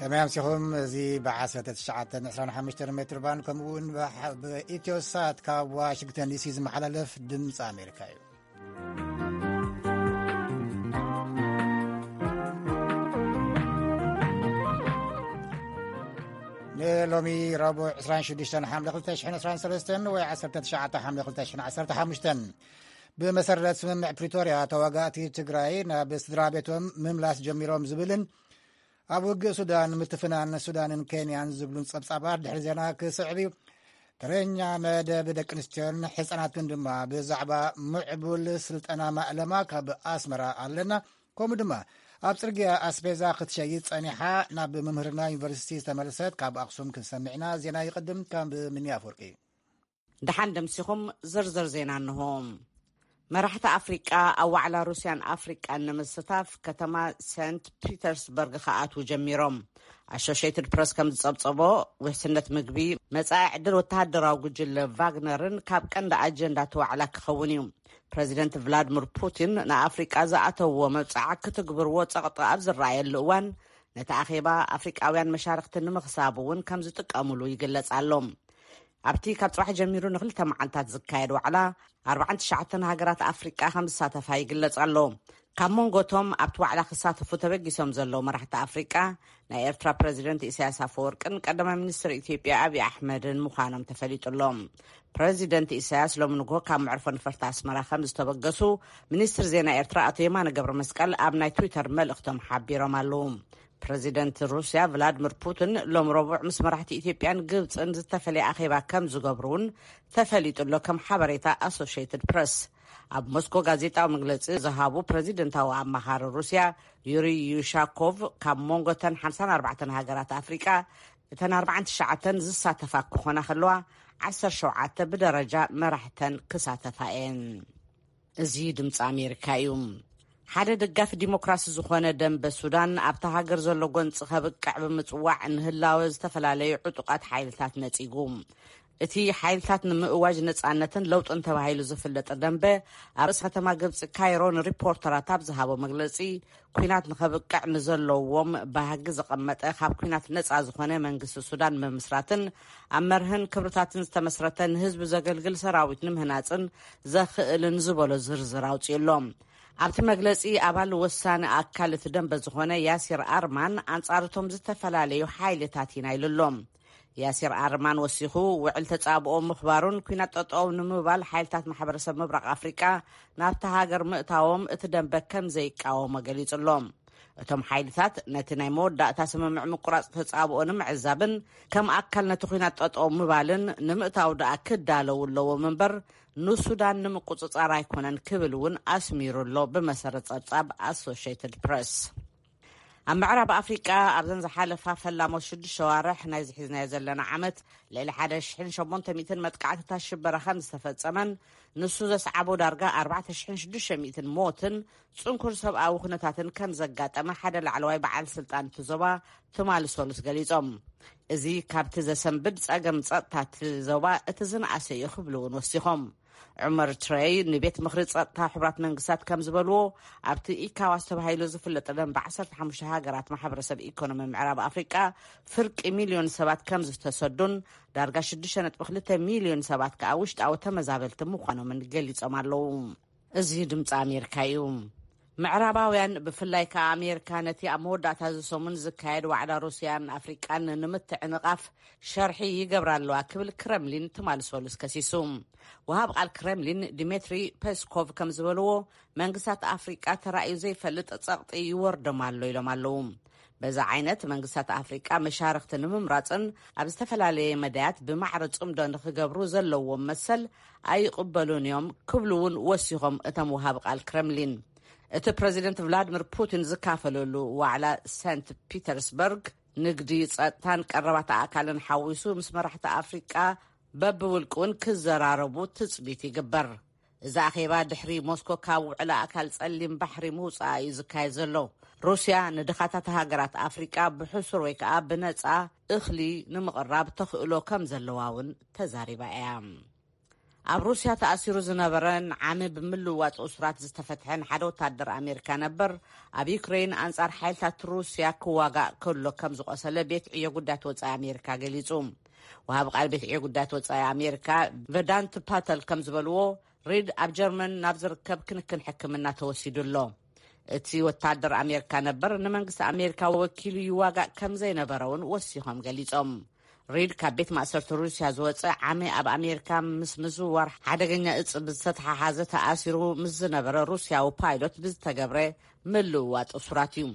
ከመይ ኣምሲኹም? እዚ ብ19 25 ሜትር ባንድ ከምኡ እውን ብሓ-፣ ብኢትዮ ሳት ካብ ዋሽንግተን ዲሲ ዝመሓላለፍ ድምፂ ኣሜሪካ እዩ። ንሎሚ ረቡዕ 26 ሓምለ 2013 ወይ 19 ሓምለ 2015፣ ብመሰረት ስምምዕ ፕሪቶርያ ተዋጋእቲ ትግራይ ናብ ስድራ ቤቶም ምምላስ ጀሚሮም ዝብልን ኣብ ውግእ ሱዳን ምትፍናን ሱዳንን ኬንያን ዝብሉን ጸብጻባት ድሕሪ ዜና ክስዕብ እዩ። ተረኛ መደብ ደቂ ኣንስትዮን ሕጻናትን ድማ ብዛዕባ ምዕቡል ስልጠና ማእለማ ካብ ኣስመራ ኣለና። ከምኡ ድማ ኣብ ጽርግያ ኣስቤዛ ክትሸይጥ ጸኒሓ ናብ ምምህርና ዩኒቨርሲቲ ዝተመልሰት ካብ ኣክሱም ክንሰምዕና። ዜና ይቕድም ካብ ምንያ ኣፈወርቂ። ደሓን ደምሲኹም ዝርዝር ዜና እንሆ። መራሕቲ ኣፍሪቃ ኣብ ዋዕላ ሩስያን ኣፍሪቃን ንምስታፍ ከተማ ሰንት ፒተርስበርግ ክኣትዉ ጀሚሮም። ኣሶሽየትድ ፕረስ ከም ዝጸብጸቦ፣ ውሕስነት ምግቢ፣ መጻኢ ዕድል ወተሃደራዊ ጉጅለ ቫግነርን ካብ ቀንዲ ኣጀንዳ እቲ ዋዕላ ክኸውን እዩ። ፕረዚደንት ቭላድሚር ፑቲን ንኣፍሪቃ ዝኣተውዎ መብጽዓ ክትግብርዎ ጸቕጢ ኣብ ዝረኣየሉ እዋን፣ ነቲ ኣኼባ ኣፍሪቃውያን መሻርክቲ ንምኽሳብ እውን ከም ዝጥቀሙሉ ይግለጽ ኣሎ። ኣብቲ ካብ ጽባሕ ጀሚሩ ንክልተ መዓልታት ዝካየድ ዋዕላ፣ ኣርባዓን ትሽዓተን ሃገራት ኣፍሪቃ ከም ዝሳተፋ ይግለጽ ኣሎ። ካብ መንጎቶም ኣብቲ ዋዕላ ክሳተፉ ተበጊሶም ዘለዉ መራሕቲ ኣፍሪቃ፣ ናይ ኤርትራ ፕረዚደንት ኢሳያስ ኣፈወርቅን ቀዳማይ ሚኒስትር ኢትዮጵያ ኣብይ ኣሕመድን ምዃኖም ተፈሊጡ ኣሎ። ፕረዚደንት ኢሳያስ ሎሚ ንግሆ ካብ መዕርፎ ነፈርቲ ኣስመራ ከም ዝተበገሱ ሚኒስትር ዜና ኤርትራ ኣቶ የማነ ገብረ መስቀል ኣብ ናይ ትዊተር መልእኽቶም ሓቢሮም ኣለዉ። ፕረዚደንት ሩስያ ቭላድሚር ፑቲን ሎም ረቡዕ ምስ መራሕቲ ኢትዮጵያን ግብጽን ዝተፈለየ ኣኼባ ከም ዝገብሩ እውን ተፈሊጡ ኣሎ፣ ከም ሓበሬታ ኣሶሽየትድ ፕረስ። ኣብ ሞስኮ ጋዜጣዊ መግለጺ ዝሃቡ ፕረዚደንታዊ ኣማኻሪ ሩስያ ዩሪ ዩሻኮቭ፣ ካብ መንጎ እተን ሓምሳን ኣርባዕተን ሃገራት ኣፍሪቃ፣ እተን ኣርባዓን ትሽዓተን ዝሳተፋ ክኾና ከለዋ፣ ዓሰርተ ሸውዓተ ብደረጃ መራሕተን ክሳተፋ እየን። እዚ ድምፂ ኣሜሪካ እዩ። ሓደ ደጋፊ ዲሞክራሲ ዝኾነ ደንበ ሱዳን፣ ኣብታ ሃገር ዘሎ ጎንፂ ከብቅዕ ብምፅዋዕ፣ ንህላወ ዝተፈላለዩ ዕጡቓት ሓይልታት ነፂጉ። እቲ ሓይልታት ንምእዋጅ ነፃነትን ለውጥን ተባሂሉ ዝፍለጥ ደንበ፣ ኣብ ርእሲ ከተማ ግብፂ ካይሮ ንሪፖርተራት ኣብ ዝሃቦ መግለፂ፣ ኲናት ንኸብቅዕ ንዘለዎም ባህጊ ዘቐመጠ፣ ካብ ኲናት ነፃ ዝኾነ መንግስቲ ሱዳን ምምስራትን ኣብ መርህን ክብርታትን ዝተመስረተ፣ ንህዝቢ ዘገልግል ሰራዊት ንምህናፅን ዘኽእልን ዝበሎ ዝርዝር ኣውፂኡ ኣሎ። ኣብቲ መግለፂ፣ ኣባል ወሳኒ ኣካል እቲ ደንበ ዝኾነ ያሲር ኣርማን ኣንጻር እቶም ዝተፈላለዩ ሓይልታት ኢና ኢሉ ኣሎ። ያሲር ኣርማን ወሲኹ፣ ውዕል ተጻብኦ ምኽባሩን ኲናት ጠጠው ንምባል ሓይልታት ማሕበረሰብ ምብራቕ ኣፍሪቃ ናብታ ሃገር ምእታዎም እቲ ደንበ ከም ዘይቃወሞ ገሊጹ ኣሎ። እቶም ሓይልታት ነቲ ናይ መወዳእታ ስምምዕ ምቁራጽ ተጻብኦ ንምዕዛብን ከም ኣካል ነቲ ኲናት ጠጠው ምባልን ንምእታው ደኣ ክዳለዉ ኣለዎም እምበር፣ ንሱዳን ንምቁጽጻር ኣይኮነን ክብል እውን ኣስሚሩ ኣሎ፣ ብመሰረት ጸብጻብ ኣሶሽየትድ ፕረስ። ኣብ ምዕራብ ኣፍሪቃ ኣብዘን ዝሓለፋ ፈላሞት ሽዱሽተ ሸዋርሕ ናይዚ ሒዝናዮ ዘለና ዓመት፣ ልዕሊ ሓደ ሽሕን ሸሞንተ ሚእትን መጥቃዕትታት ሽበራ ከም ዝተፈጸመን፣ ንሱ ዘስዓቦ ዳርጋ ኣርባዕተ ሽሕን ሽዱሽተ ሚእትን ሞትን ጽንኩር ሰብኣዊ ኩነታትን ከም ዘጋጠመ ሓደ ላዕለዋይ በዓል ስልጣን እቲ ዞባ ትማሊ ሰሉስ ገሊጾም። እዚ ካብቲ ዘሰንብድ ጸገም ጸጥታ እቲ ዞባ እቲ ዝነኣሰ እዩ ክብሉ እውን ወሲኾም። ዑመር ትረይ ንቤት ምኽሪ ጸጥታ ሕቡራት መንግስታት ከም ዝበልዎ፣ ኣብቲ ኢካዋስ ተባሂሉ ዝፍለጥ ደንበ ዓሰርተ ሓሙሽተ ሃገራት ማሕበረሰብ ኢኮኖሚ ምዕራብ ኣፍሪቃ ፍርቂ ሚልዮን ሰባት ከም ዝተሰዱን፣ ዳርጋ ሽዱሽተ ነጥቢ ክልተ ሚልዮን ሰባት ከኣ ውሽጣዊ ተመዛበልቲ ምዃኖምን ገሊጾም ኣለዉ። እዚ ድምፂ ኣሜሪካ እዩ። ምዕራባውያን፣ ብፍላይ ከኣ ኣሜሪካ፣ ነቲ ኣብ መወዳእታ እዚ ሰሙን ዝካየድ ዋዕላ ሩስያን ኣፍሪቃን ንምትዕንቓፍ ሸርሒ ይገብራ ኣለዋ ክብል ክረምሊን ትማሊ ሰሉስ ከሲሱ። ወሃብ ቃል ክረምሊን ዲሜትሪ ፔስኮቭ ከም ዝበልዎ፣ መንግስታት ኣፍሪቃ ተራእዩ ዘይፈልጥ ጸቕጢ ይወርዶም ኣሎ ኢሎም ኣለዉ። በዚ ዓይነት መንግስታት ኣፍሪቃ መሻርኽቲ ንምምራጽን ኣብ ዝተፈላለየ መዳያት ብማዕረ ጽምዶ ንኽገብሩ ዘለዎም መሰል ኣይቕበሉን እዮም ክብሉ እውን ወሲኾም እቶም ወሃብ ቃል ክረምሊን። እቲ ፕረዚደንት ቭላድሚር ፑቲን ዝካፈለሉ ዋዕላ ሰንት ፒተርስበርግ፣ ንግዲ፣ ጸጥታን ቀረባት ኣእካልን ሓዊሱ ምስ መራሕቲ ኣፍሪቃ በብውልቂ እውን ክዘራረቡ ትጽቢት ይግበር። እዚ ኣኼባ ድሕሪ ሞስኮ ካብ ውዕል ኣእካል ጸሊም ባሕሪ ምውጻኣ እዩ ዝካየድ ዘሎ። ሩስያ ንድኻታት ሃገራት ኣፍሪቃ ብሕሱር ወይ ከኣ ብነጻ እኽሊ ንምቕራብ ተኽእሎ ከም ዘለዋ እውን ተዛሪባ እያ። ኣብ ሩስያ ተኣሲሩ ዝነበረን ዓሚ ብምልዋጥ እሱራት ዝተፈትሐን ሓደ ወታደር ኣሜሪካ ነበር፣ ኣብ ዩክሬን ኣንጻር ሓይልታት ሩስያ ክዋጋእ ከሎ ከም ዝቖሰለ ቤት ዕዮ ጉዳያት ወጻኢ ኣሜሪካ ገሊጹ። ወሃቢ ቃል ቤት ዕዮ ጉዳያት ወጻኢ ኣሜሪካ ቨዳንት ፓተል ከም ዝበልዎ፣ ሪድ ኣብ ጀርመን ናብ ዝርከብ ክንክን ሕክምና ተወሲዱ ኣሎ። እቲ ወታደር ኣሜሪካ ነበር ንመንግስቲ ኣሜሪካ ወኪሉ ይዋጋእ ከም ዘይነበረ እውን ወሲኾም ገሊጾም። ሪድ ካብ ቤት ማእሰርቲ ሩስያ ዝወጸ ዓሚ ኣብ ኣሜሪካ ምስ ምዝውዋር ሓደገኛ እጽ ብዝተተሓሓዘ ተኣሲሩ ምስ ዝነበረ ሩስያዊ ፓይሎት ብዝተገብረ ምልውዋጥ እሱራት እዩ።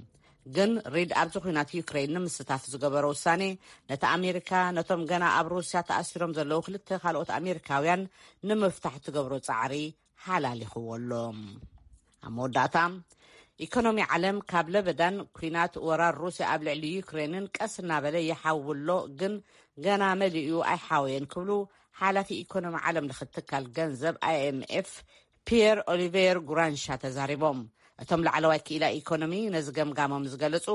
ግን ሪድ ኣብዚ ኲናት ዩክሬን ንምስታፍ ዝገበሮ ውሳኔ ነቲ ኣሜሪካ ነቶም ገና ኣብ ሩስያ ተኣሲሮም ዘለዉ ክልተ ካልኦት ኣሜሪካውያን ንምፍታሕ ትገብሮ ጻዕሪ ሓላሊኽዎ ኣሎ። ኣብ መወዳእታ፣ ኢኮኖሚ ዓለም ካብ ለበዳን ኲናት ወራር ሩስያ ኣብ ልዕሊ ዩክሬንን ቀስ እናበለ ይሓዊ ኣሎ፣ ግን ገና መሊኡ ኣይሓወየን ክብሉ ሓላፊ ኢኮኖሚ ዓለም ለኸ ትካል ገንዘብ ኣይኤምኤፍ ፒየር ኦሊቬር ጉራንሻ ተዛሪቦም። እቶም ላዕለዋይ ክኢላ ኢኮኖሚ ነዚ ገምጋሞም ዝገለጹ፣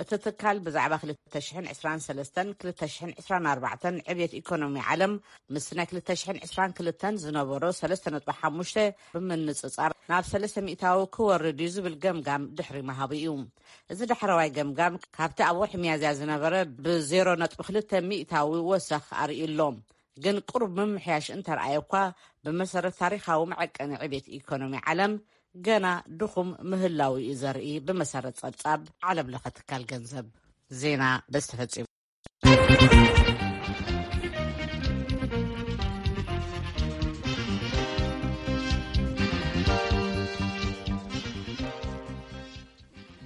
እቲ ትካል ብዛዕባ ክልተ ሽሕን ዕስራን ሰለስተን ክልተ ሽሕን ዕስራን ኣርባዕተን ዕብየት ኢኮኖሚ ዓለም ምስቲ ናይ ክልተ ሽሕን ዕስራን ክልተን ዝነበሮ ሰለስተ ነጥቢ ሓሙሽተ ብምንጽጻር ናብ ሰለስተ ሚእታዊ ክወርድ እዩ ዝብል ገምጋም ድሕሪ ምሃቡ እዩ። እዚ ዳሕረዋይ ገምጋም ካብቲ ኣብ ወርሒ ሚያዝያ ዝነበረ ብዜሮ ነጥቢ ክልተ ሚእታዊ ወሰኽ ኣርእዩ ኣሎ። ግን ቁሩብ ምምሕያሽ እንተረኣየ እኳ፣ ብመሰረት ታሪኻዊ መዐቀኒ ዕቤት ኢኮኖሚ ዓለም ገና ድኹም ምህላው እዩ ዘርኢ፣ ብመሰረት ጸብጻብ ዓለም ለኸ ትካል ገንዘብ። ዜና በዚ ተፈጺሙ።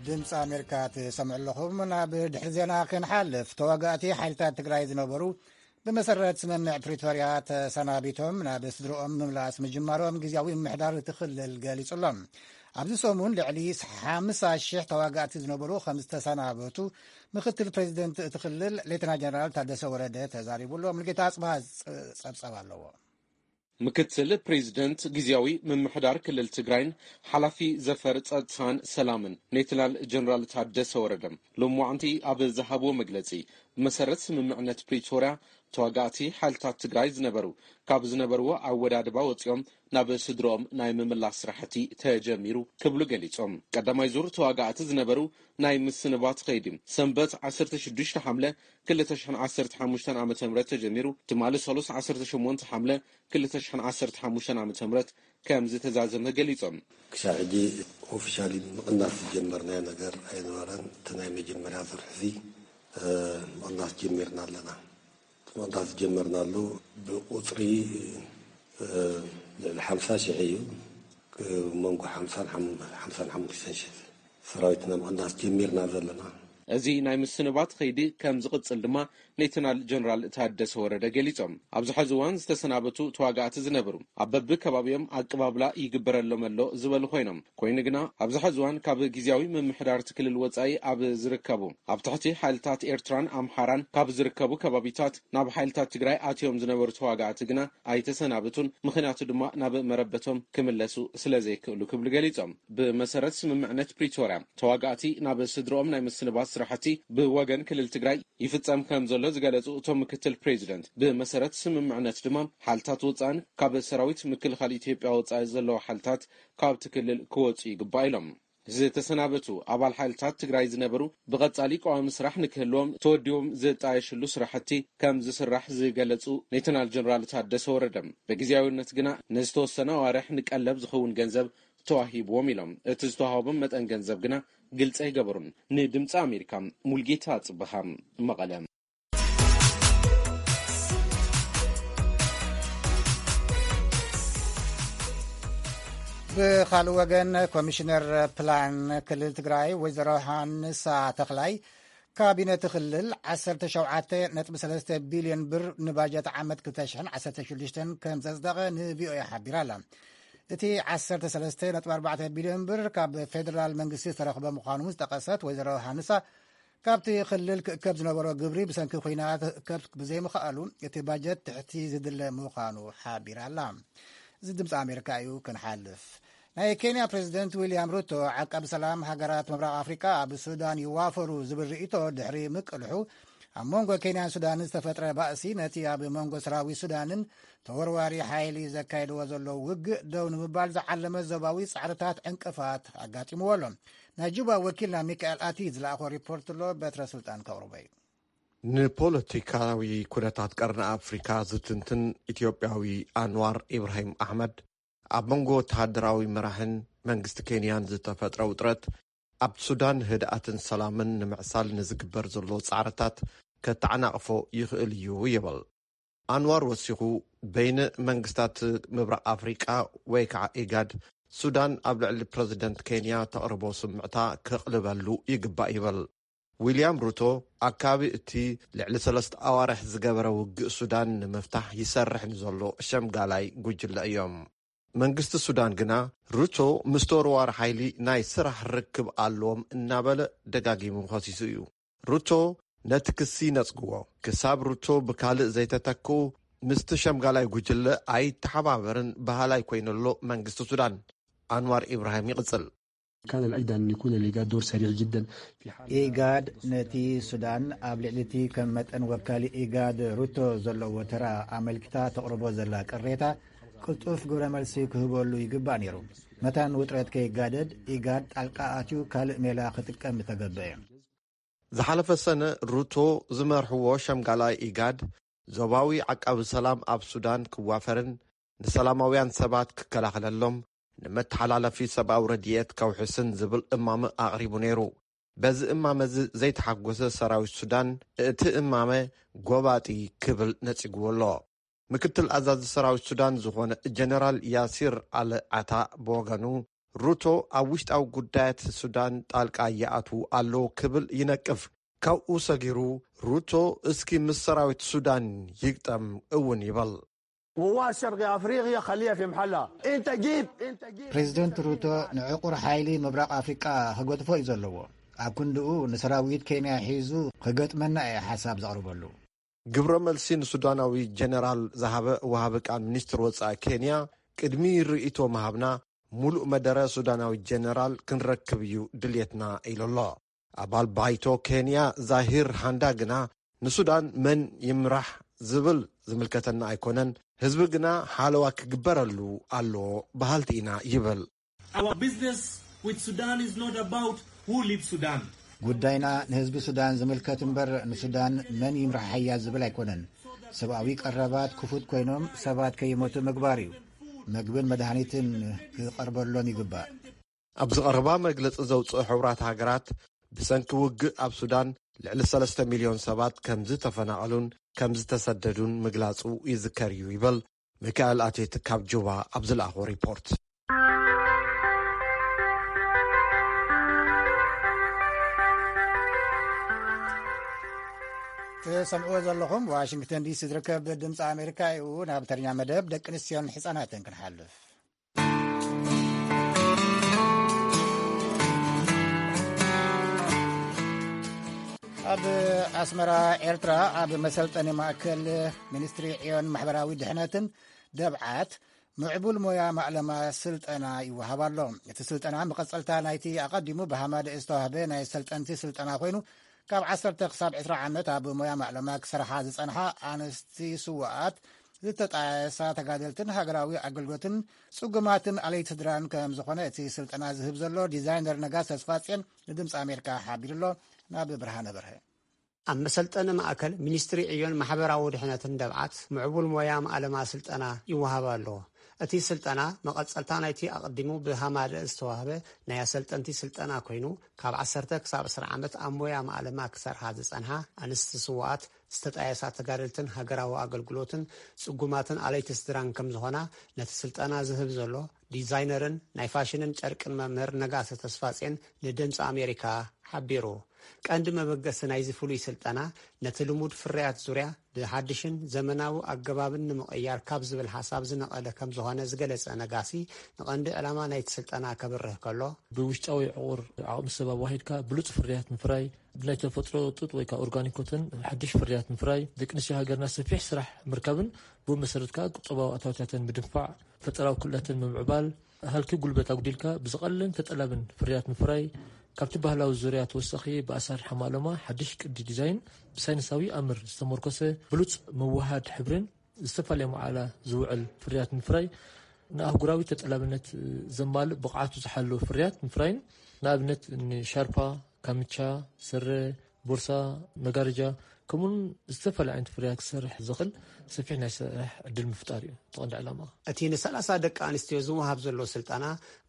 ድምፂ ኣሜሪካ ትሰምዑ ኣለኹም። ናብ ድሕሪ ዜና ክንሓልፍ፣ ተዋጋእቲ ሓይልታት ትግራይ ዝነበሩ ብመሰረት ስምምዕ ፕሪቶርያ ተሰናቢቶም ናብ ስድርኦም ምምላስ ምጅማሮም ግዜያዊ ምምሕዳር እቲ ክልል ገሊጹ ኣሎ። ኣብዚ ሰሙን ልዕሊ ሓምሳ ሽሕ ተዋጋእቲ ዝነበሩ ከም ዝተሰናበቱ ምክትል ፕሬዚደንት እቲ ክልል ሌተና ጀነራል ታደሰ ወረደ ተዛሪቡ ኣሎ። ሙሉጌታ ኣጽብሃ ጸብጸብ ኣለዎ። ምክትል ፕሬዚደንት ግዜያዊ ምምሕዳር ክልል ትግራይን ሓላፊ ዘፈር ጸጥታን ሰላምን ሌተናል ጀነራል ታደሰ ወረደ ሎማዕንቲ ኣብ ዝሃብዎ መግለጺ፣ ብመሰረት ስምምዕነት ፕሪቶርያ ተዋጋእቲ ሓይልታት ትግራይ ዝነበሩ ካብ ዝነበርዎ ኣወዳድባ ወፂኦም ናብ ስድሮኦም ናይ ምምላስ ስራሕቲ ተጀሚሩ ክብሉ ገሊፆም። ቀዳማይ ዙር ተዋጋእቲ ዝነበሩ ናይ ምስንባት ከይዲ ሰንበት ዓሰርተ ሽዱሽተ ሓምለ ክልተ ሽሕን ዓሰርተ ሓሙሽተን ዓመተ ምህረት ተጀሚሩ ትማሊ ሰሉስ ዓሰርተ ሸሞንተ ሓምለ ክልተ ሽሕን ዓሰርተ ሓሙሽተን ዓመተ ምህረት ከም ዝተዛዘመ ገሊፆም። ክሳብ ሕጂ ኦፊሻሊ ምቕናስ ዝጀመርናዮ ነገር ኣይነበረን። እቲ ናይ መጀመርያ ዙር ሕዚ ምቕናስ ጀሚርና ኣለና። እቲ ምቕናስ ዝጀመርናሉ ብቁፅሪ ልዕሊ ሓምሳ ሽሕ እዩ። መንጎ ሓምሳን ሓምሳን ሓሙሽተን ሽሕ ሰራዊትና ምቕናስ ጀሚርና ዘለና። እዚ ናይ ምስንባት ከይዲ ከም ዝቕፅል ድማ ሌተናል ጀነራል ታደሰ ወረደ ገሊፆም። ኣብዚ ሕዚ እዋን ዝተሰናበቱ ተዋጋእቲ ዝነብሩ ኣብ በብከባቢኦም ኣቀባብላ ይግበረሎም ኣሎ ዝበሉ ኮይኖም፣ ኮይኑ ግና ኣብዚ ሕዚ እዋን ካብ ግዜያዊ ምምሕዳር እቲ ክልል ወፃኢ ኣብ ዝርከቡ ኣብ ትሕቲ ሓይልታት ኤርትራን ኣምሓራን ካብ ዝርከቡ ከባቢታት ናብ ሓይልታት ትግራይ ኣትዮም ዝነበሩ ተዋጋእቲ ግና ኣይተሰናበቱን፣ ምኽንያቱ ድማ ናብ መረበቶም ክምለሱ ስለ ዘይክእሉ ክብሉ ገሊፆም። ብመሰረት ስምምዕነት ፕሪቶርያ ተዋጋእቲ ናብ ስድሮኦም ናይ ምስንባት ስራሕቲ ብወገን ክልል ትግራይ ይፍጸም ከም ዘሎ ዝገለጹ እቶም ምክትል ፕሬዚደንት፣ ብመሰረት ስምምዕነት ድማ ሓልታት ወጻእን ካብ ሰራዊት ምክልኻል ኢትዮጵያ ወጻኢ ዘለዉ ሓልታት ካብቲ ክልል ክወጹ ይግባእ ኢሎም። ዝተሰናበቱ ኣባል ሓይልታት ትግራይ ዝነበሩ ብቐጻሊ ቀዋሚ ስራሕ ንክህልዎም ተወዲቦም ዝጣየሽሉ ስራሕቲ ከም ዝስራሕ ዝገለጹ ሌተናል ጀነራል ታደሰ ወረደ፣ ብግዜያዊነት ግና ንዝተወሰነ ኣዋርሕ ንቀለብ ዝኸውን ገንዘብ ተዋሂብዎም ኢሎም። እቲ ዝተዋህቦም መጠን ገንዘብ ግና ግልጺ ኣይገበሩን። ንድምፂ ኣሜሪካ ሙልጌታ ጽብሃ፣ መቐለ። ብኻልእ ወገን፣ ኮሚሽነር ፕላን ክልል ትግራይ ወይዘሮ ሃንሳ ተኽላይ፣ ካቢነ እቲ ክልል ዓሰርተ ሸውዓተ ነጥቢ ሰለስተ ቢልዮን ብር ንባጀት ዓመት ክልተ ሽሕን ዓሰርተ ሽዱሽተን ከም ዘጽደቐ ንቪኦኤ ሓቢራ ኣላ። እቲ ዓሰርተ ሰለስተ ነጥቢ ኣርባዕተ ቢልዮን ብር ካብ ፌደራል መንግስቲ ዝተረኽበ ምዃኑ ዝጠቐሰት ወይዘሮ ሃንሳ፣ ካብቲ ክልል ክእከብ ዝነበሮ ግብሪ ብሰንኪ ኲናት ክእከብ ብዘይምኽኣሉ፣ እቲ ባጀት ትሕቲ ዝድለ ምዃኑ ሓቢራ ኣላ። እዚ ድምፂ ኣሜሪካ እዩ። ክንሓልፍ፣ ናይ ኬንያ ፕሬዚደንት ዊልያም ሩቶ፣ ዓቃቢ ሰላም ሃገራት ምብራቕ ኣፍሪቃ ኣብ ሱዳን ይዋፈሩ ዝብል ርእይቶ ድሕሪ ምቅልሑ፣ ኣብ መንጎ ኬንያን ሱዳንን ዝተፈጥረ ባእሲ ነቲ ኣብ መንጎ ሰራዊት ሱዳንን ተወርዋሪ ሓይሊ ዘካየድዎ ዘለዉ ውግእ ደው ንምባል ዝዓለመ ዞባዊ ጻዕርታት ዕንቅፋት ኣጋጢምዎ ኣሎ። ናይ ጁባ ወኪልና ሚካኤል ኣቲ ዝለኣኾ ሪፖርት ኣሎ፣ በትረ ስልጣን ከቕርቦ እዩ። ንፖለቲካዊ ኩነታት ቀርኒ ኣፍሪካ ዝትንትን ኢትዮጵያዊ ኣንዋር ኢብራሂም ኣሕመድ፣ ኣብ መንጎ ወተሃደራዊ መራሕን መንግስቲ ኬንያን ዝተፈጥረ ውጥረት ኣብ ሱዳን ህድኣትን ሰላምን ንምዕሳል ንዝግበር ዘሎ ጻዕርታት ከተዓናቕፎ ይኽእል እዩ ይብል። ኣንዋር ወሲኹ፣ በይነ መንግስታት ምብራቕ ኣፍሪቃ ወይ ከዓ ኢጋድ፣ ሱዳን ኣብ ልዕሊ ፕረዚደንት ኬንያ ተቕርቦ ስምዕታ ከቕልበሉ ይግባእ ይብል። ዊልያም ሩቶ፣ ኣካቢ እቲ ልዕሊ ሰለስተ ኣዋርሕ ዝገበረ ውግእ ሱዳን ንምፍታሕ ይሰርሕ ንዘሎ ሸምጋላይ ጉጅለ እዮም። መንግስቲ ሱዳን ግና፣ ሩቶ ምስ ተወርዋሪ ሓይሊ ናይ ስራሕ ርክብ ኣለዎም እናበለ ደጋጊሙ ከሲሱ እዩ። ሩቶ ነቲ ክሲ ነጽግዎ። ክሳብ ሩቶ ብካልእ ዘይተተክኡ፣ ምስቲ ሸምጋላይ ጉጅለ ኣይተሓባበርን በሃላይ ኮይኑሎ መንግስቲ ሱዳን። ኣንዋር ኢብራሂም ይቕጽል። كان الأجدى أن يكون للإيجاد دور سريع جدا في حال ኢጋድ ነቲ ሱዳን ኣብ ልዕሊ እቲ ከም መጠን ወካሊ ኢጋድ ሩቶ ዘለዎ ተራ ኣመልኪታ ተቕርቦ ዘላ ቅሬታ ቅልጡፍ ግብረ መልሲ ክህበሉ ይግባእ ነይሩ። መታን ውጥረት ከይጋደድ ኢጋድ ጣልቃ ኣትዩ ካልእ ሜላ ክጥቀም ምተገበአ። ዝሓለፈ ሰነ ሩቶ ዝመርሕዎ ሸምጋላይ ኢጋድ ዞባዊ ዓቃቢ ሰላም ኣብ ሱዳን ክዋፈርን ንሰላማውያን ሰባት ክከላኸለሎም፣ ንመተሓላለፊ ሰብኣዊ ረድኤት ከውሕስን ዝብል እማመ ኣቕሪቡ ነይሩ። በዚ እማመ እዚ ዘይተሓጎሰ ሰራዊት ሱዳን፣ እቲ እማመ ጎባጢ ክብል ነጺግዎ ኣሎ። ምክትል ኣዛዚ ሰራዊት ሱዳን ዝኾነ ጀነራል ያሲር ኣል ዓታ ብወገኑ፣ ሩቶ ኣብ ውሽጣዊ ጉዳያት ሱዳን ጣልቃ ይኣትዉ ኣለዉ ክብል ይነቅፍ። ካብኡ ሰጊሩ፣ ሩቶ እስኪ ምስ ሰራዊት ሱዳን ይግጠም እውን ይብል። قوات شرق افريقيا خليها في محلها. انت جيت انت جيت ፕሬዚደንት ሩቶ ንዕቑር ሓይሊ ምብራቕ ኣፍሪቃ ክገጥፎ እዩ ዘለዎ። ኣብ ክንድኡ ንሰራዊት ኬንያ ሒዙ ክገጥመና እየ ሓሳብ ዘቕርበሉ። ግብረ መልሲ ንሱዳናዊ ጀነራል ዝሃበ ወሃቢ ቃል ሚኒስትር ወጻኢ ኬንያ፣ ቅድሚ ርእይቶ ምሃብና፣ ሙሉእ መደረ ሱዳናዊ ጀነራል ክንረክብ እዩ ድልየትና ኢሉ ኣሎ። ኣባል ባይቶ ኬንያ ዛሂር ሃንዳ ግና፣ ንሱዳን መን ይምራሕ ዝብል ዝምልከተና ኣይኮነን፣ ህዝቢ ግና ሓለዋ ክግበረሉ ኣለዎ በሃልቲ ኢና ይብል። Our business with Sudan is not about who leads Sudan. ጉዳይና ንህዝቢ ሱዳን ዝምልከት እምበር ንሱዳን መን ይምርሓያ ዝብል ኣይኮነን። ሰብኣዊ ቀረባት ክፉት ኮይኖም ሰባት ከይሞቱ ምግባር እዩ። መግብን መድሃኒትን ክቐርበሎም ይግባእ። ኣብዚ ቀረባ መግለጺ ዘውፅኡ ሕቡራት ሃገራት፣ ብሰንኪ ውግእ ኣብ ሱዳን ልዕሊ ሰለስተ ሚልዮን ሰባት ከም ዝተፈናቐሉን ከም ዝተሰደዱን ምግላጹ ይዝከር እዩ ይብል ሚካኤል ኣቴት ካብ ጁባ ኣብ ዝለኣኾ ሪፖርት። ትሰምዕዎ ዘለኹም ዋሽንግተን ዲሲ ዝርከብ ድምፂ ኣሜሪካ እዩ። ናብ ተረኛ መደብ ደቂ ኣንስትዮን ህፃናትን ክንሓልፍ። ኣብ ኣስመራ ኤርትራ ኣብ መሰልጠኒ ማእከል ሚኒስትሪ ዕዮን ማሕበራዊ ድሕነትን ደብዓት ምዕቡል ሞያ ማእለማ ስልጠና ይወሃብ ኣሎ። እቲ ስልጠና መቐጸልታ ናይቲ ኣቐዲሙ ብሃማደ ዝተዋህበ ናይ ሰልጠንቲ ስልጠና ኮይኑ፣ ካብ ዓሰርተ ክሳብ ዕስራ ዓመት ኣብ ሞያ ማእለማ ክሰርሓ ዝጸንሓ ኣንስቲ ስውኣት ዝተጣየሳ ተጋደልትን ሃገራዊ ኣገልግሎትን ጽጉማትን ኣለይቲ ስድራን ከም ዝኾነ እቲ ስልጠና ዝህብ ዘሎ ዲዛይነር ነጋስ ተስፋጽዮን ንድምፂ ኣሜሪካ ሓቢሩ ኣሎ። ናብ ብርሃነ በርሀ። ኣብ መሰልጠኒ ማእከል ሚኒስትሪ ዕዮን ማሕበራዊ ድሕነትን ደብዓት ምዕቡል ሞያ ማእለማ ስልጠና ይወሃብ ኣሎ። እቲ ስልጠና መቐጸልታ ናይቲ ኣቐዲሙ ብሃማደ ዝተዋህበ ናይ ኣሰልጠንቲ ስልጠና ኮይኑ፣ ካብ ዓሰርተ ክሳብ ዕስራ ዓመት ኣብ ሞያ ማእለማ ክሰርሓ ዝጸንሓ ኣንስቲ ስውኣት ዝተጣየሳ ተጋደልትን ሃገራዊ ኣገልግሎትን ጽጉማትን ኣለይቲ ስድራን ከም ዝኾና ነቲ ስልጠና ዝህብ ዘሎ ዲዛይነርን ናይ ፋሽንን ጨርቅን መምህር ነጋሰ ተስፋጼን ንድምፂ ኣሜሪካ ሓቢሩ። ቀንዲ መበገሲ ናይዚ ፍሉይ ስልጠና ነቲ ልሙድ ፍርያት ዙርያ ብሓድሽን ዘመናዊ ኣገባብን ንምቕያር ካብ ዝብል ሓሳብ ዝነቐለ ከም ዝኾነ ዝገለጸ ነጋሲ፣ ንቐንዲ ዕላማ ናይቲ ስልጠና ከብርህ ከሎ፣ ብውሽጣዊ ዕቑር ዓቕሚ ሰብ ኣዋሂድካ ብሉጽ ፍርያት ምፍራይ፣ ብናይ ተፈጥሮ ጡጥ ወይ ከዓ ኦርጋኒክ ኮተን ሓድሽ ፍርያት ምፍራይ፣ ደቂ ኣንስትዮ ሃገርና ሰፊሕ ስራሕ ምርካብን ብኡ መሰረት ከዓ ቁጠባዊ ኣታዊታተን ምድንፋዕ፣ ፈጠራዊ ክእለተን ምምዕባል፣ ሃልኪ ጉልበት ኣጉዲልካ ብዝቐልልን ተጠላብን ፍርያት ምፍራይ፣ ካብቲ ባህላዊ ዙርያ ተወሳኺ፣ ብኣሰራርሓ ማእለማ ሓድሽ ቅዲ ዲዛይን፣ ብሳይንሳዊ ኣምር ዝተመርኮሰ ብሉጽ መወሃድ ሕብርን ዝተፈላለየ መዓላ ዝውዕል ፍርያት ምፍራይ፣ ንኣህጉራዊ ተጠላብነት ዘማልእ ብቕዓቱ ዝሓለወ ፍርያት ምፍራይን፣ ንኣብነት ንሻርፓ፣ ካምቻ፣ ስረ፣ ቦርሳ፣ መጋረጃ፣ ከምኡውን ዝተፈላለዩ ዓይነት ፍርያት ክሰርሕ ዝኽእል ሰፊሕ ናይ ስራሕ ዕድል ምፍጣር እዩ እቲ ቀንዲ ዕላማ። እቲ ን30 ደቂ ኣንስትዮ ዝወሃብ ዘሎ ስልጠና፣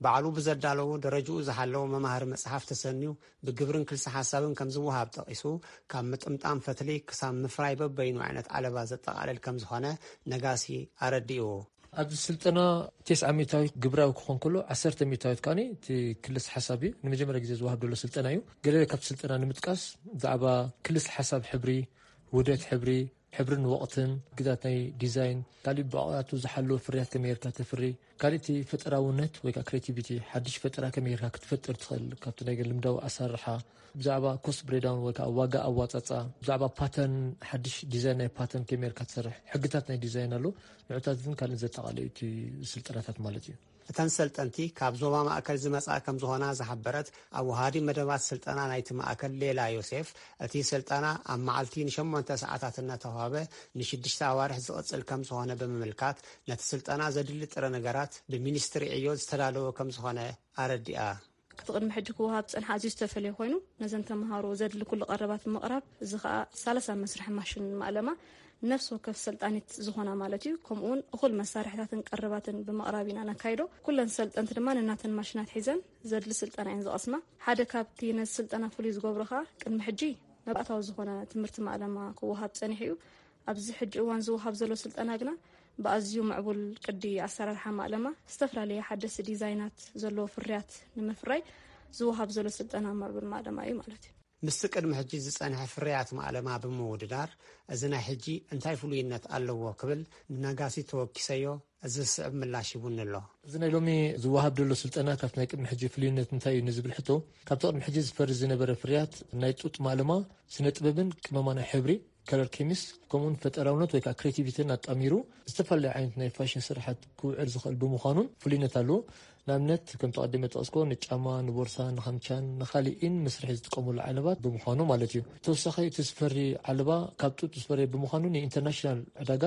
ባዕሉ ብዘዳለዎ ደረጃኡ ዝሓለወ መማህሪ መጽሓፍ ተሰንዩ ብግብርን ክልሲ ሓሳብን ከም ዝወሃብ ጠቒሱ፣ ካብ ምጥምጣም ፈትሊ ክሳብ ምፍራይ በበይኑ ዓይነት ዓለባ ዘጠቓልል ከም ዝኾነ ነጋሲ ኣረዲኡ። ኣብዚ ስልጠና ተስዓ ሚእታዊት ግብራዊ ክኾን ከሎ፣ ዓሰርተ ሚእታዊት ከኣ እቲ ክልስ ሓሳብ እዩ። ንመጀመርያ ግዜ ዝወሃብ ዘሎ ስልጠና እዩ። ገለ ካብቲ ስልጠና ንምጥቃስ፣ ብዛዕባ ክልስ ሓሳብ ሕብሪ፣ ውህደት ሕብሪ፣ ሕብርን ወቕትን፣ ግዛት ናይ ዲዛይን፣ ካሊእ ብቕዓቱ ዝሓለወ ፍርያት ከመይ ጌርካ ተፍሪ፣ ካሊእ እቲ ፈጠራውነት ወይ ከዓ ክሬቲቪቲ፣ ሓድሽ ፈጠራ ከመይ ጌርካ ክትፈጥር ትኽእል፣ ካብቲ ናይ ልምዳዊ ኣሰራርሓ፣ ብዛዕባ ኮስት ብሬዳውን ወይ ከዓ ዋጋ ኣዋፃፃ፣ ብዛዕባ ፓተርን፣ ሓድሽ ዲዛይን ናይ ፓተርን ከመይ ጌርካ ትሰርሕ፣ ሕግታት ናይ ዲዛይን ኣሎ። ንዑታትን ካልእን ዘጠቓለዩ እቲ ስልጠናታት ማለት እዩ። እተን ሰልጠንቲ ካብ ዞባ ማእከል ዝመጻ ከም ዝኾና ዝሓበረት ኣወሃዲ መደባት ስልጠና ናይቲ ማእከል ሌላ ዮሴፍ፣ እቲ ስልጠና ኣብ መዓልቲ ንሸሞንተ ሰዓታት እናተዋህበ ንሽዱሽተ ኣዋርሕ ዝቕጽል ከም ዝኾነ ብምምልካት፣ ነቲ ስልጠና ዘድሊ ጥረ ነገራት ብሚኒስትሪ ዕዮ ዝተዳለወ ከም ዝኾነ ኣረዲኣ። እቲ ቅድሚ ሕጂ ክወሃብ ዝጸንሐ ኣዝዩ ዝተፈለየ ኮይኑ፣ ነዘን ተምሃሮ ዘድሊ ኩሉ ቀረባት ብምቕራብ፣ እዚ ኸኣ ሰላሳ መስርሒ ማሽን ማእለማ፣ ነፍሲ ወከፍ ሰልጣኒት ዝኾና ማለት እዩ። ከምኡ እውን እኹል መሳርሕታትን ቀረባትን ብምቕራብ ኢና ነካይዶ። ኩለን ሰልጠንቲ ድማ ነናተን ማሽናት ሒዘን ዘድሊ ስልጠና እየን ዝቐስማ። ሓደ ካብቲ ነዚ ስልጠና ፍሉይ ዝገብሮ ኸኣ፣ ቅድሚ ሕጂ መባእታዊ ዝኾነ ትምህርቲ ማእለማ ክወሃብ ጸኒሑ እዩ። ኣብዚ ሕጂ እዋን ዝወሃብ ዘሎ ስልጠና ግና፣ ብኣዝዩ ምዕቡል ቅዲ ኣሰራርሓ ማእለማ፣ ዝተፈላለየ ሓደስቲ ዲዛይናት ዘለዎ ፍርያት ንምፍራይ ዝወሃብ ዘሎ ስልጠና ምዕቡል ማእለማ እዩ ማለት እዩ። ምስቲ ቅድሚ ሕጂ ዝጸንሐ ፍርያት ማእለማ ብምውድዳር፣ እዚ ናይ ሕጂ እንታይ ፍሉይነት ኣለዎ ክብል ንነጋሲ ተወኪሰዮ፣ እዚ ዝስዕብ ምላሽ ሂቡኒ ኣሎ። እዚ ናይ ሎሚ ዝወሃብ ዘሎ ስልጠና ካብቲ ናይ ቅድሚ ሕጂ ፍሉይነት እንታይ እዩ ንዝብል ሕቶ፣ ካብቲ ቅድሚ ሕጂ ዝፈሪ ዝነበረ ፍርያት ናይ ጡጥ ማእለማ፣ ስነ ጥበብን ቅመማ ናይ ሕብሪ፣ ከለር ኬሚስት፣ ከምኡውን ፈጠራውነት ወይ ከዓ ክሬቲቪቲን ኣጣሚሩ፣ ዝተፈላለዩ ዓይነት ናይ ፋሽን ስራሓት ክውዕል ዝኽእል ብምዃኑን ፍሉይነት ኣለዎ። ንኣብነት፣ ከም ተቐዲመ ጠቐስኮ፣ ንጫማ፣ ንቦርሳ፣ ንኻምቻን ንኻሊእን መስርሒ ዝጥቀሙሉ ዓለባት ብምዃኑ ማለት እዩ። ተወሳኺ፣ እቲ ዝፈሪ ዓለባ ካብ ጡጥ ዝፈሪ ብምዃኑ፣ ንኢንተርናሽናል ዕዳጋ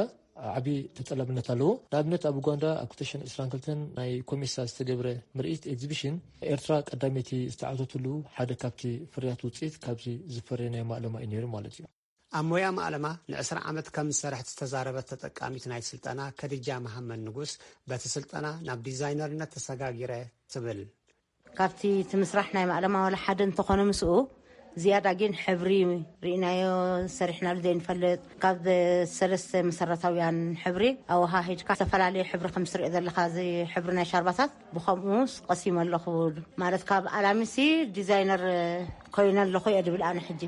ዓቢ ተጠላብነት ኣለዎ። ንኣብነት፣ ኣብ ኡጋንዳ ኣብ ክልተ ሽሕን ዕስራን ክልተን ናይ ኮሜሳ ዝተገብረ ምርኢት ኤግዚቢሽን፣ ኤርትራ ቀዳመይቲ ዝተዓወተትሉ ሓደ ካብቲ ፍርያት ውጽኢት ካብዚ ዝፈሪ ናይ ማእለማ እዩ ነይሩ ማለት እዩ። ኣብ ሞያ ማእለማ ንዕስራ ዓመት ከም ዝሰርሐት ዝተዛረበት ተጠቃሚት ናይ ስልጠና ከድጃ መሃመድ ንጉስ፣ በቲ ስልጠና ናብ ዲዛይነርነት ተሰጋጊረ ትብል። ካብቲ እቲ ምስራሕ ናይ ማእለማ ዋላ ሓደ እንተኾነ ምስኡ ዝያዳ ግን ሕብሪ ርኢናዮ ሰሪሕናሉ ዘይንፈልጥ። ካብ ሰለስተ መሰረታውያን ሕብሪ ኣወሃሂድካ ዝተፈላለየ ሕብሪ ከም ትሪኦ ዘለኻ እዚ ሕብሪ ናይ ሻርባታት ብኸምኡ ቀሲመ ኣለኹ። ማለት ካብ ኣላሚሲ ዲዛይነር ኮይነ ኣለኹ እየ ድብል ኣነ ሕጂ።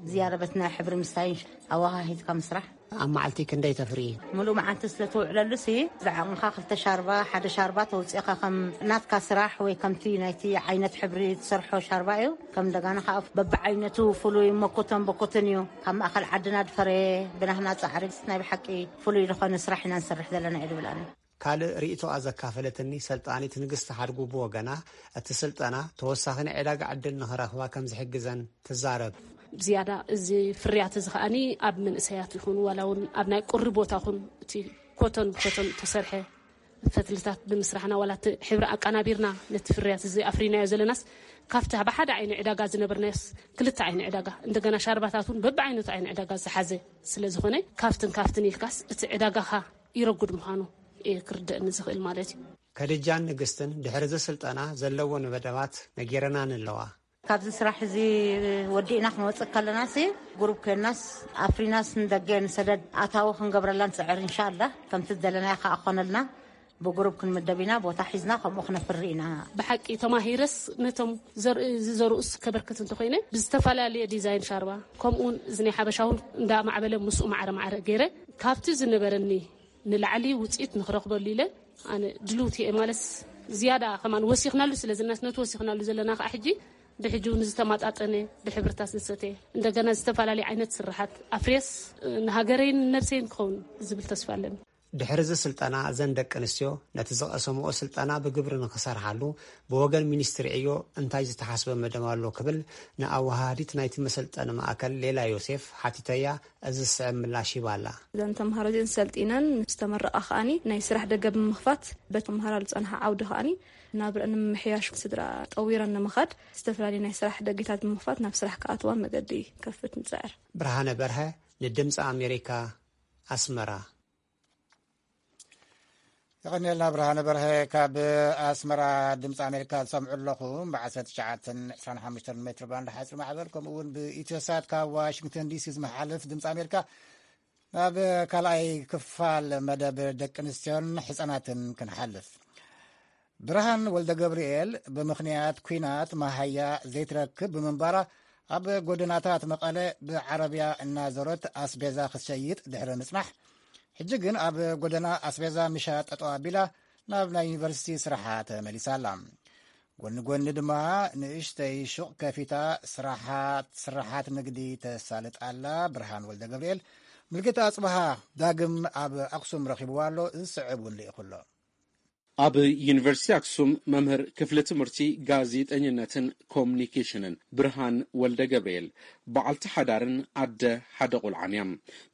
ዝያዳ በቲ ናይ ሕብሪ ምስታይ ኣወሃሂድካ ምስራሕ። ኣብ መዓልቲ ክንደይ ተፍሪ? ሙሉእ መዓልቲ ስለ ትውዕለሉ ሲ፣ ዝዓቕምኻ ክልተ ሻርባ፣ ሓደ ሻርባ ተውፅእኻ ከም ናትካ ስራሕ ወይ ከምቲ ናይቲ ዓይነት ሕብሪ ትሰርሖ ሻርባ እዩ። ከም እንደገና ከዓ በብዓይነቱ ፍሉይ መኮተን በኮተን እዩ። ካብ ማእኸል ዓድና ድፈረየ ብናህና ፃዕሪ ናይ ብሓቂ ፍሉይ ዝኾነ ስራሕ ኢና ንሰርሕ ዘለና እዩ ድብል ኣነ። ካልእ ርእይቶኣ ዘካፈለትኒ ሰልጣኒት ንግስቲ ሓድጉ ብወገና፣ እቲ ስልጠና ተወሳኺ ናይ ዕዳጋ ዕድል ንኽረኽባ ከም ዝሕግዘን ትዛረብ። ብዝያዳ እዚ ፍርያት እዚ ከኣኒ ኣብ መንእሰያት ይኹን ዋላ እውን ኣብ ናይ ቁሪ ቦታ ኹን እቲ ኮቶን ብኮቶን ተሰርሐ ፈትልታት ብምስራሕና ዋላ እቲ ሕብሪ ኣቀናቢርና ነቲ ፍርያት እዚ ኣፍሪናዮ ዘለናስ ካብቲ ብሓደ ዓይኒ ዕዳጋ ዝነበርናዮስ ክልተ ዓይኒ ዕዳጋ እንደገና ሻርባታት እውን በብዓይነቱ ዓይኒ ዕዳጋ ዝሓዘ ስለ ዝኾነ ካብትን ካብትን ኢልካስ እቲ ዕዳጋኻ ይረጉድ ምዃኑ እየ ክርደእኒ ዝኽእል ማለት እዩ። ከድጃን ንግስትን ድሕሪ እዚ ስልጠና ዘለወን መደባት ነጊረናን ኣለዋ። ካብዚ ስራሕ እዚ ወዲእና ክንወፅእ ከለናሲ፣ ጉሩብ ኮይናስ ኣፍሪናስ ንደገ ንሰደድ ኣታዊ ክንገብረላ ንፅዕር። እንሻላ ከምቲ ዝደለናዮ ከዓ ክኾነልና ብጉሩብ ክንምደብ ኢና። ቦታ ሒዝና ከምኡ ክነፍሪ ኢና። ብሓቂ ተማሂረስ ነቶም ዘርኢ ዝዘርኡስ ከበርክት እንተኮይነ ብዝተፈላለየ ዲዛይን ሻርባ ከምኡውን እዚ ናይ ሓበሻውን እንዳማዕበለ ምስኡ ማዕረ ማዕረ ገይረ ካብቲ ዝነበረኒ ንላዕሊ ውፅኢት ንኽረኽበሉ ኢለ ኣነ ድልውቲ እየ። ማለት ዝያዳ ከማን ወሲኽናሉ ስለ ዝነስ ነቲ ወሲኽናሉ ዘለና ከዓ ሕጂ ብሕጂ እውን ዝተማጣጠነ ብሕብርታት ዝሰተ እንደገና ዝተፈላለዩ ዓይነት ስራሓት ኣፍሬስ ንሃገረይን ነብሰይን ክኸውን ዝብል ተስፋ ኣለኒ። ድሕሪ እዚ ስልጠና፣ እዘን ደቂ ኣንስትዮ ነቲ ዝቐሰምኦ ስልጠና ብግብሪ ንኽሰርሓሉ ብወገን ሚኒስትሪ ዕዮ እንታይ ዝተሓስበ መደብ ኣሎ ክብል ንኣወሃሃዲት ናይቲ መሰልጠኒ ማእከል ሌላ ዮሴፍ ሓቲተያ፣ እዚ ዝስዕብ ምላሽ ሂባላ። እዘን ተምሃሮ እዚአን ሰልጢነን ምስ ተመረቓ ከኣኒ ናይ ስራሕ ደገ ብምኽፋት በቲ ተምሃራሉ ዝጸንሓ ዓውዲ ከኣኒ ናብረአን ንምምሕያሽ ስድራ ጠዊረን ንምኻድ ዝተፈላለዩ ናይ ስራሕ ደገታት ብምኽፋት ናብ ስራሕ ክኣትዋ መገዲ ከፍት ንጽዕር። ብርሃነ በርሀ ንድምፂ ኣሜሪካ ኣስመራ። የቐንየልና ብርሃነ በርሀ ካብ ኣስመራ ድምፂ ኣሜሪካ ትሰምዑ ኣለኹም። ብ19 25 ሜትር ባንድ ሓፂር ማዕበል ከምኡ እውን ብኢትዮሳት ካብ ዋሽንግተን ዲሲ ዝመሓልፍ ድምፂ ኣሜሪካ። ናብ ካልኣይ ክፋል መደብ ደቂ ኣንስትዮን ሕፃናትን ክንሓልፍ። ብርሃን ወልደ ገብርኤል ብምኽንያት ኲናት መሃያ ዘይትረክብ ብምንባራ ኣብ ጎደናታት መቐለ ብዓረብያ እናዞረት ኣስቤዛ ክትሸይጥ ድሕሪ ምጽናሕ፣ ሕጂ ግን ኣብ ጎደና ኣስቤዛ ምሻጥ ጠጠው ኣቢላ ናብ ናይ ዩኒቨርሲቲ ስራሓ ተመሊሳ ኣላ። ጎኒ ጎኒ ድማ ንእሽተይ ሹቕ ከፊታ ስራሓት ስራሓት ንግዲ ተሳልጥ ኣላ። ብርሃን ወልደ ገብርኤል፣ ምልክት ኣጽብሃ ዳግም ኣብ ኣክሱም ረኺብዋ ኣሎ። ዝስዕብ እውን ልኢኹ ኣሎ። ኣብ ዩኒቨርሲቲ ኣክሱም መምህር ክፍሊ ትምህርቲ ጋዜጠኝነትን ኮሙኒኬሽንን ብርሃን ወልደ ገብርኤል በዓልቲ ሓዳርን ኣደ ሓደ ቆልዓን እያ።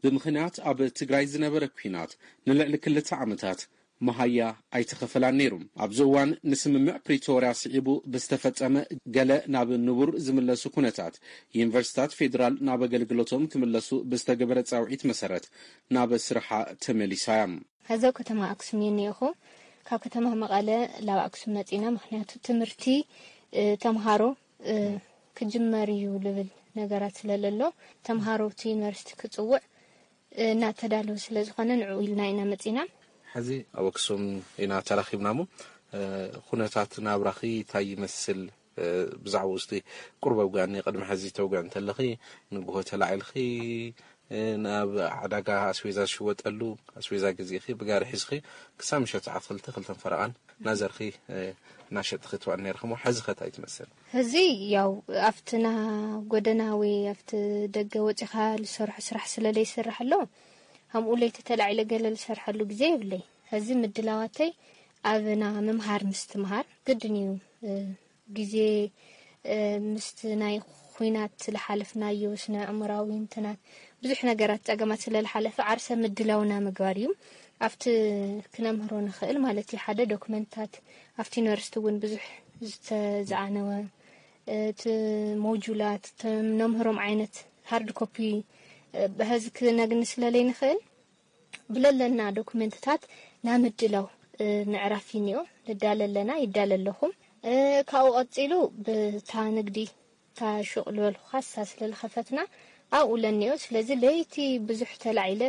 ብምኽንያት ኣብ ትግራይ ዝነበረ ኲናት ንልዕሊ ክልተ ዓመታት መሃያ ኣይተኸፈላን ነይሩ። ኣብዚ እዋን ንስምምዕ ፕሪቶርያ ስዒቡ ብዝተፈጸመ ገለ ናብ ንቡር ዝምለሱ ኩነታት፣ ዩኒቨርሲታት ፌዴራል ናብ ኣገልግሎቶም ክምለሱ ብዝተገበረ ጻውዒት መሰረት ናብ ስርሓ ተመሊሳ እያ። ሕዚ ኣብ ከተማ ኣክሱም እየ እኒኤኹ። ካብ ከተማ መቐለ ላብ ኣክሱም መፂና፣ ምኽንያቱ ትምህርቲ፣ እ፣ ተምሃሮ፣ እ፣ ክጅመር እዩ ልብል ነገራት ስለለሎ፣ ተምሃሮ እቲ ዩኒቨርሲቲ ክፅውዕ፣ እ፣ እናተዳለወ ስለ ዝኾነ ንዕኡ ኢልና ኢና መፂና። ሕዚ ኣብ ኣክሱም ኢና ተራኺብና እሞ፣ እ፣ ኩነታት ናብራኺ እንታይ ይመስል? እ፣ ብዛዕባኡ እስቲ ቁሩብ ኣውግኣኒ። ቅድሚ ሕዚ ተውግዕ እንተለኺ፣ ንግሆ ተላዒልኺ፣ እ፣ ናብ ዕዳጋ ኣስቤዛ ዝሽወጠሉ ኣስቤዛ ገዚእኺ፣ ብጋሪ ሒዝኺ፣ ክሳብ ምሸት ሰዓት ክልተ፣ ክልተን ፈረቓን እናዘርኺ፣ እ፣ እናሸጥኺ ትውዕል ነይርኺ እሞ፣ ሕዚ ኸ እንታይ ትመስል? ሕዚ ያው ኣብቲ ና ጎደና ወይ ኣብቲ ደገ ወፂኻ ዝሰርሖ ስራሕ ስለ ዘይስራሕ ኣሎ፣ ሃምኡ ለይቲ ተላዒለ ገለ ዝሰርሐሉ ግዜ የብለይ። ሕዚ ምድላዋተይ ኣብ ና ምምሃር ምስትምሃር ግድን እዩ። እ፣ ግዜ፣ እ፣ ምስቲ ናይ ኹናት ዝሓለፍናዮ ስነ ኣእምራዊ እንትናት ብዙሕ ነገራት ጸገማት ስለ ዝሓለፈ ዓርሰ ምድላውና ምግባር እዩ። ኣብቲ ክነምህሮ ንኽእል ማለት እዩ። ሓደ ዶክመንታት ኣብቲ ዩኒቨርሲቲ እውን ብዙሕ ዝተዝኣነወ፣ እ፣ እቲ ሞጁላት፣ እቲ ነምህሮም ዓይነት ሃርድ ኮፒ፣ እ፣ ብሕዚ ክነግኒ ስለ ዘይንኽእል ብለለና ዶክመንትታት ናምድላው፣ እ፣ ምዕራፍ እዩ እኒኦ። ንዳለ ኣለና፣ ይዳለ ኣለኹም። እ፣ ካብኡ ቀጺሉ ብታ ንግዲ፣ እታ ሹቕ ዝበልኩኻ እሳ ስለ ዝኸፈትና ኣብኡ ለኒኦ። ስለዚ ለይቲ ብዙሕ ተላዒለ፣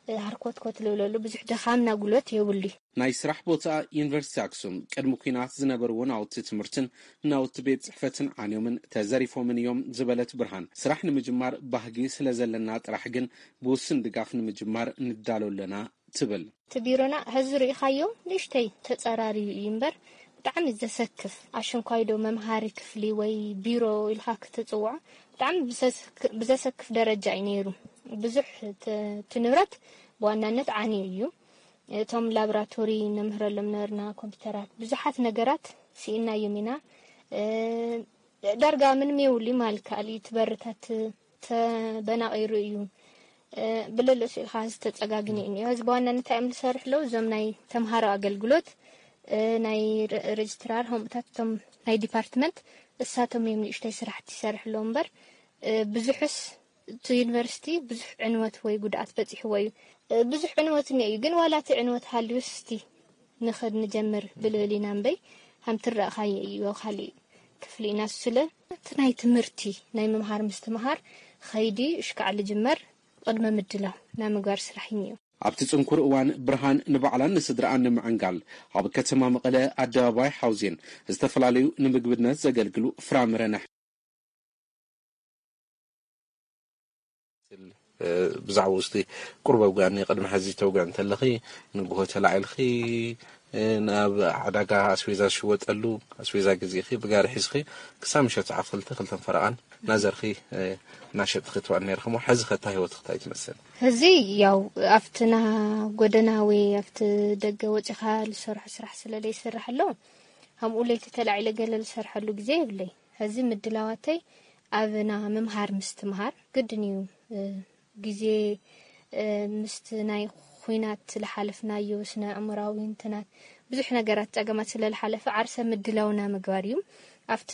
እ፣ ሃርኮትኮት ልብለሉ ብዙሕ ድኻምና ጉልበት የብሉ እዩ። ናይ ስራሕ ቦታኣ ዩኒቨርሲቲ ኣክሱም፣ ቅድሚ ኲናት ዝነበርዎ ናውቲ ትምህርትን ናውቲ ቤት ጽሕፈትን ዓንዮምን ተዘሪፎምን እዮም ዝበለት ብርሃን፣ ስራሕ ንምጅማር ባህጊ ስለ ዘለና ጥራሕ ግን ብውሱን ድጋፍ ንምጅማር ንዳሎ ኣለና ትብል። እቲ ቢሮና ሕዚ ርኢኻዮ ንእሽተይ ተጸራርዩ እዩ እምበር ብጣዕሚ ዘሰክፍ፣ ኣሸንኳይዶ መምሃሪ ክፍሊ ወይ ቢሮ ኢልካ ክትጽውዖ ብጣዕሚ ብዘሰክ-፣ ብዘሰክፍ ደረጃ እዩ ነይሩ። ብዙሕ ተ-፣ እቲ ንብረት ብዋናነት ዓንዩ እዩ። እቶም ላብራቶሪ ነምህረሎም ነበርና፣ ኮምፒውተራት፣ ብዙሓት ነገራት ስኢናዮም ኢና። እ፣ ዳርጋ ምንም የብሉ ማለት ይከኣል እዩ። እቲ በርታት ተበናቒሩ እዩ። እ፣ ብለለሱ ኢልካ ዝተጸጋግነ እዩ እኒኦ። እዚ ብዋናነት እንታይ እዮም ዝሰርሑ ኣለዉ? እዞም ናይ ተምሃሮ ኣገልግሎት፣ እ፣ ናይ ረ-፣ ሬጅስትራር፣ ከምኡታት እቶም ናይ ዲፓርትመንት፣ እሳቶም እዮም ንእሽተይ ስራሕቲ ይሰርሑ ኣለዉ እምበር፣ እ፣ ብዙሕስ እቲ ዩኒቨርሲቲ ብዙሕ ዕንወት ወይ ጉድኣት በጺሕዎ እዩ። እ፣ ብዙሕ ዕንወት እኒኦ እዩ፣ ግን ዋላ እቲ ዕንወት ሃልዩስ እስቲ ንኽድ ንጀምር ብልብል ኢና እምበይ፣ ከም ትረእኻዮ እዩ፣ ካሊእ ክፍሊ ኢና። እሱ ስለ እቲ ናይ ትምህርቲ፣ ናይ ምምሃር ምስትምሃር ኸይዲ እሽካዕ ልጅመር ቅድመ ምድላው ናይ ምግባር ስራሕ እዩ እኒኦ። ኣብቲ ጽንኩር እዋን ብርሃን ንባዕላን ንስድራኣን ንምዕንጋል ኣብ ከተማ መቐለ ኣደባባይ ሓውዜን ዝተፈላለዩ ንምግብነት ዘገልግሉ ፍራምረን እ፣ ብዛዕባኡ እስቲ ቁሩብ ኣውግኣኒ። ቅድሚ ሕዚ ተውግዕ እንተለኺ፣ ንግሆ ተላዒልኺ፣ እ፣ ናብ ዕዳጋ ኣስቤዛ ዝሽወጠሉ ኣስቤዛ ገዚእኺ፣ ብጋሪ ሒዝኺ፣ ክሳብ ምሸት ሰዓት ክልተ፣ ክልተን ፈረቓን ናዘርኺ ናሸጥ ክትባል ነርክሞ ሕዚ ከታ ህይወት ክታይ ትመስል? ሕዚ ያው ኣብትና ጎደና ወይ ኣብቲ ደገ ወፂኻ ዝሰርሑ ስራሕ ስለ ዘይስራሕ ኣሎ፣ ከምኡ ለይቲ ተላዒለ ገለ ዝሰርሐሉ ግዜ የብለይ። ሕዚ ምድላዋተይ ኣብና ምምሃር ምስትምሃር ግድን እዩ። ግዜ ምስቲ ናይ ኹናት ዝሓለፍናዮ ስነ ኣእምራዊ እንትናት ብዙሕ ነገራት ጸገማት ስለ ዝሓለፈ ዓርሰ ምድላውና ምግባር እዩ። ኣብቲ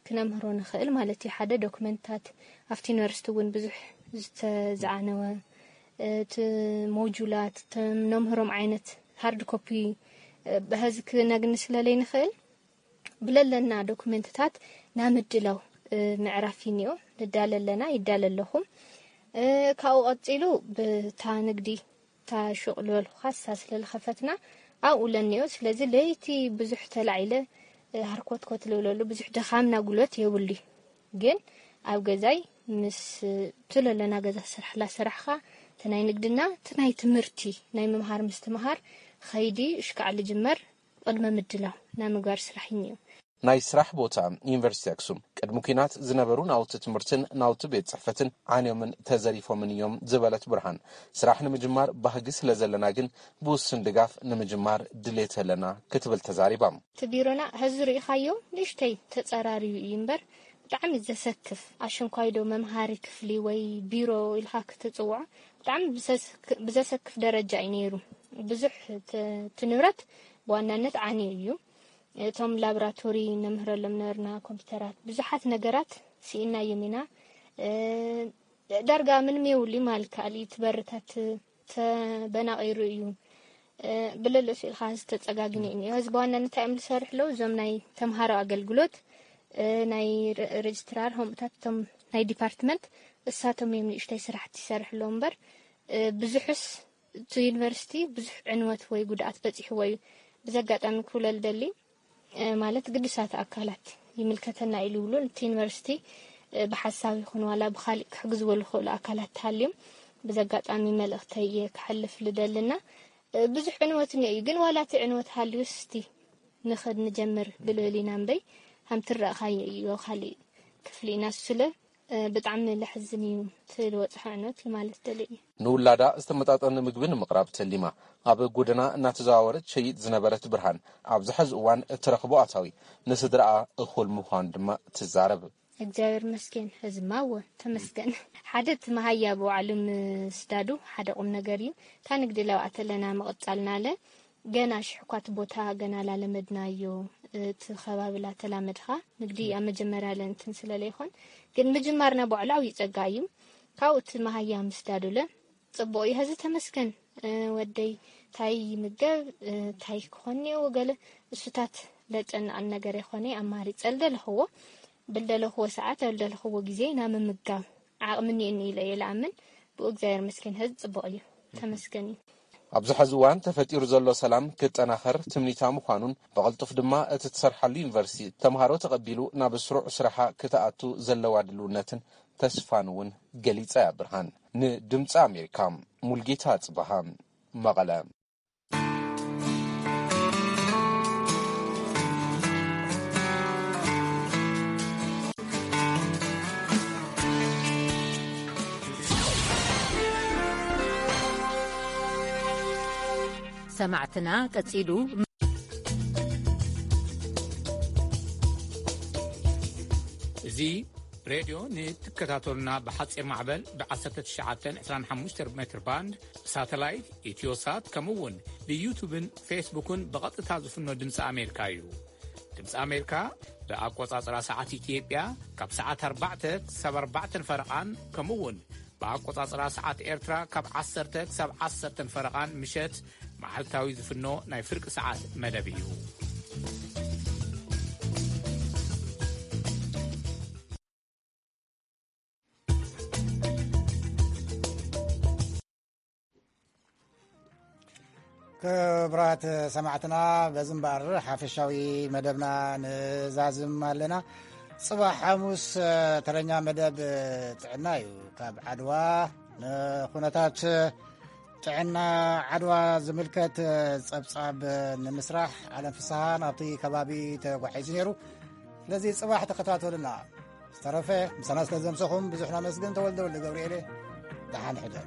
ክነምህሮ ንኽእል ማለት እዩ። ሓደ ዶክመንታት ኣብቲ ዩኒቨርሲቲ እውን ብዙሕ ዝተዝዓነወ እቲ ሞጁላት ነምህሮም ዓይነት ሃርድ ኮፒ ብሀዚ ክነግኒ ስለለይ ንኽእል ብለለና ዶክመንትታት ናምድላው ምዕራፍ ይኒኦ። ንዳለ ኣለና፣ ይዳለ ኣለኹም። ካብኡ ቀፂሉ ብታ ንግዲ፣ እታ ሹቕ ዝበልኩኻ እሳ ስለ ዝኸፈትና ኣብኡ ለኒኦ። ስለዚ ለይቲ ብዙሕ ተላዒለ ሃርኮትኮት ልብለሉ ብዙሕ ድኻምና ጉልበት የብሉ። ግን ኣብ ገዛይ ምስ እቲ ለለና ገዛ ስራሕ ላሰራሕኻ እቲ ናይ ንግድና እቲ ናይ ትምህርቲ ናይ ምምሃር ምስትምሃር ኸይዲ እሽካዕ ልጅመር ቅድመ ምድላው ናይ ምግባር ስራሕ እዩ። ናይ ስራሕ ቦታ ዩኒቨርሲቲ ኣክሱም ቅድሚ ኲናት ዝነበሩ ናውቲ ትምህርትን ናውቲ ቤት ጽሕፈትን ዓንዮምን ተዘሪፎምን እዮም ዝበለት ብርሃን፣ ስራሕ ንምጅማር ባህጊ ስለ ዘለና ግን ብውሱን ድጋፍ ንምጅማር ድሌት ኣለና ክትብል ተዛሪባ። እቲ ቢሮና ሕዚ ርኢኻዮ ንእሽተይ ተጸራርዩ እዩ እምበር ብጣዕሚ ዘሰክፍ ኣሽንኳይዶ መምሃሪ ክፍሊ ወይ ቢሮ ኢልካ ክትጽውዖ ብጣዕሚ ብዘሰክፍ ደረጃ እዩ ነይሩ። ብዙሕ እቲ ንብረት ብዋናነት ዓንዩ እዩ። እቶም ላብራቶሪ ነምህረሎም ነበርና ኮምፒውተራት ብዙሓት ነገራት ስኢናዮም ኢና። ዳርጋ ምንም የውሊ ማል ካሊ ትበርታት ተበናቂሩ እዩ። ብለለሱ ኢልካ ዝተጸጋግነ እዩ። እዚ በዋናነት እዮም ዝሰርሕ ኣለዉ እዞም ናይ ተምሃሮ ኣገልግሎት፣ ናይ ሬጅስትራር ሆምታት እቶም ናይ ዲፓርትመንት እሳቶም እዮም ንእሽተይ ስራሕቲ ይሰርሕ ኣለዉ እምበር ብዙሕስ እቲ ዩኒቨርሲቲ ብዙሕ ዕንወት ወይ ጉድኣት በፂሕዎ እዩ። ብዚ ኣጋጣሚ ክብለል ደሊ ማለት ግዱሳት ኣካላት ይምልከተና ኢሉ ይብሉ እቲ ዩኒቨርሲቲ ብሓሳብ ይኹን ዋላ ብካሊእ ክሕግዝዎ ዝኽእሉ ኣካላት ተሃልዮም ብዚ ኣጋጣሚ መልእኽተይ እየ ክሓልፍ ልደልና። ብዙሕ ዕንወት እኒኦ እዩ ግን ዋላ እቲ ዕንወት ሃልዩስ እስቲ ንኽድ ንጀምር ብልብል ኢና እምበይ ሃምትረእኻዮ እዩ ካሊእ ክፍሊ ኢና ስለ ብጣዕሚ ለሕዝን እዩ እቲ ዝበፅሐ ዕንወት ማለት ደሊ እዩ። ንውላዳ ዝተመጣጠነ ምግቢ ንምቕራብ ተሊማ ኣብ ጎደና እናተዘዋወረት ትሸይጥ ዝነበረት ብርሃን ኣብዚ ሕዚ እዋን እትረኽቦ ኣታዊ ንስድራኣ እኹል ምዃኑ ድማ ትዛረብ። እግዚኣብሔር መስገን ህዝማ እወ ተመስገን። ሓደ እቲ መሃያ ብባዕሉ ምስዳዱ ሓደ ቁም ነገር እዩ። እታ ንግዲ ለብኣት ኣለና ምቕጻልና ኣለ ገና ሽሕኳት ቦታ ገና ላለመድናዮ። እቲ ከባቢ ላተላመድኻ ንግዲ ኣብ መጀመርያ ለእንትን ስለለይኾን ግን ምጅማርና ባዕሉ ዓብዩ ጸጋ እዩ። ካብኡ እቲ መሃያ ምስዳዱለ ጽቡቕ እዩ። ሀዚ ተመስገን ወደይ ታይ ይምገብ ታይ ክኾን እኒኦ ገለ እሱታት ለጨንቐን ነገር የኾነ ኣማሪጸ ልደለኽዎ ብልደለኽዎ ሰዓት ኣብ ልደለኽዎ ግዜ ኢና ምምጋብ ዓቕሚ እኒኤኒ ኢለ እየ ልኣምን። ብኡ እግዚኣብሔር መስገን ሀዚ ጽቡቕ እዩ። ተመስገን እዩ። ኣብዚ ሐዚ እዋን ተፈጢሩ ዘሎ ሰላም ክጠናኸር ትምኒታ ምዃኑን ብቕልጡፍ ድማ እቲ ትሰርሓሉ ዩኒቨርሲቲ ተምሃሮ ተቐቢሉ ናብ ስሩዕ ስራሓ ክትኣቱ ዘለዋ ድልውነትን ተስፋን እውን ገሊጻ እያ። ብርሃን ንድምፂ ኣሜሪካ ሙልጌታ ጽበሃ መቐለ። ሰማዕትና ቀጺሉ እዚ ሬድዮ ንትከታተሉና ብሓጺር ማዕበል ብ1925 ሜትር ባንድ ሳተላይት ኢትዮሳት ከምኡ እውን ብዩቱብን ፌስቡክን ብቐጥታ ዝፍኖ ድምፂ ኣሜሪካ እዩ። ድምፂ ኣሜሪካ ብኣቆፃፅራ ሰዓት ኢትዮጵያ ካብ ሰዓት ኣርባዕተ ክሳብ ኣርባዕተን ፈረቓን ከምኡ እውን ብኣቆፃፅራ ሰዓት ኤርትራ ካብ ዓሰርተ ክሳብ ዓሰርተን ፈረቓን ምሸት መዓልታዊ ዝፍኖ ናይ ፍርቂ ሰዓት መደብ እዩ። ክቡራት ሰማዕትና በዚ እምበኣር ሓፈሻዊ መደብና ንዛዝም ኣለና። ጽባሕ ሓሙስ ተረኛ መደብ ጥዕና እዩ። ካብ ዓድዋ ንኹነታት ጥዕና ዓድዋ ዝምልከት ጸብጻብ ንምስራሕ ዓለም ፍስሃ ናብቲ ከባቢ ተጓዒዙ ነይሩ። ስለዚ ጽባሕ ተኸታተሉና። ዝተረፈ ምሳና ስለ ዘምሰኹም ብዙሕ ናመስግን። ተወልደ ወልደ ገብርኤል፣ ደሓን ሕደሩ።